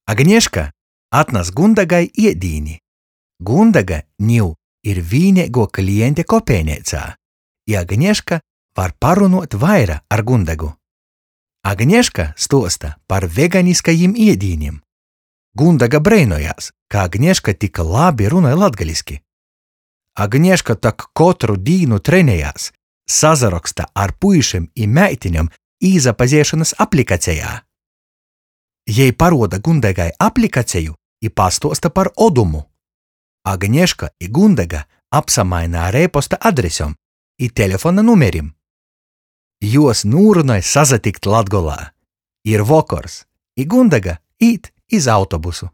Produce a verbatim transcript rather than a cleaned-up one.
Agneška atnas Gundagai iedīni. Gundega niu ir vīneiguo kliente kopejneicā, i Agneška var parunuot vaira ar Gundegu. Agneška stuosta par veganiskajim iedīnim. Gundega breinojās, ka Agneška tik labi runoj latgaliski. Agneška tak kotru dīnu trenejās, sasaroksta ar puišim i meitinem īsapazeišonys aplikacejā. Jei paruoda Gundegai aplikaceju i pastuosta par Odumu. Agneška i Gundega apsamaina ar e-posta adresem i telefona numerim. Juos nūrunoj sasatikt Latgolā. Ir vokors, i Gundega īt iz autobusu.